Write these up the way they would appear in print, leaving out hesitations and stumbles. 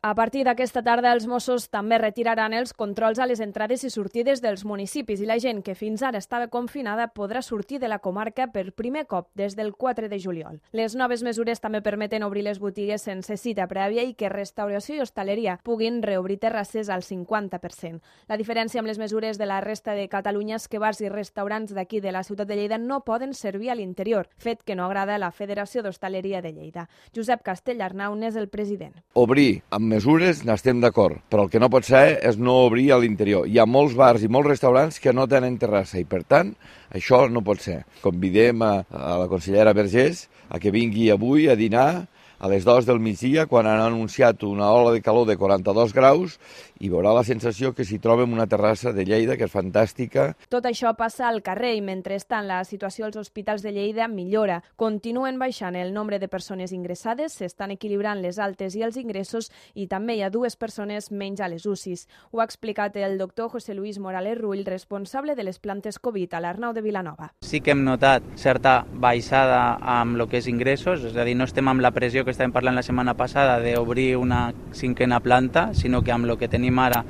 A partir d'aquesta tarda, els Mossos també retiraran els controls a les entrades i sortides dels municipis i la gent que fins ara estava confinada podrà sortir de la comarca per primer cop des del 4 de juliol. Les noves mesures també permeten obrir les botigues sense cita prèvia i que restauració i hostaleria puguin reobrir terrasses al 50%. La diferència amb les mesures de la resta de Catalunya és que bars i restaurants d'aquí de la ciutat de Lleida no poden servir a l'interior, fet que no agrada a la Federació d'Hostaleria de Lleida. Josep Castellarnau n'és el president. Obrir amb mesures n'estem d'acord, però el que no pot ser és no obrir a l'interior. Hi ha molts bars i molts restaurants que no tenen terrassa i, per tant, això no pot ser. Convidem a la consellera Vergés a que vingui avui a dinar a les 2 del migdia, quan han anunciat una ola de calor de 42 graus, i veurà la sensació que s'hi troba en una terrassa de Lleida, que és fantàstica. Tot això passa al carrer i, mentrestant, la situació als hospitals de Lleida millora. Continuen baixant el nombre de persones ingressades, s'estan equilibrant les altes i els ingressos i també hi ha 2 persones menys a les UCIs. Ho ha explicat el doctor José Luis Morales Rull, responsable de les plantes Covid a l'Arnau de Vilanova. Sí que hem notat certa baixada amb el que és ingressos, és a dir, no estem amb la pressió que estàvem parlant la setmana passada d'obrir una 5a planta, sinó que amb el que tenim ara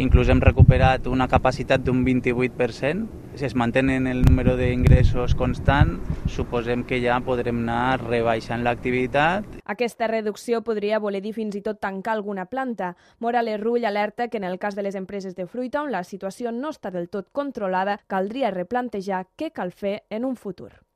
inclús hem recuperat una capacitat d'un 28%. Si es mantenen el número d'ingressos constant, suposem que ja podrem anar rebaixant l'activitat. Aquesta reducció podria voler dir fins i tot tancar alguna planta. Morales Rull alerta que en el cas de les empreses de fruita, on la situació no està del tot controlada, caldria replantejar què cal fer en un futur.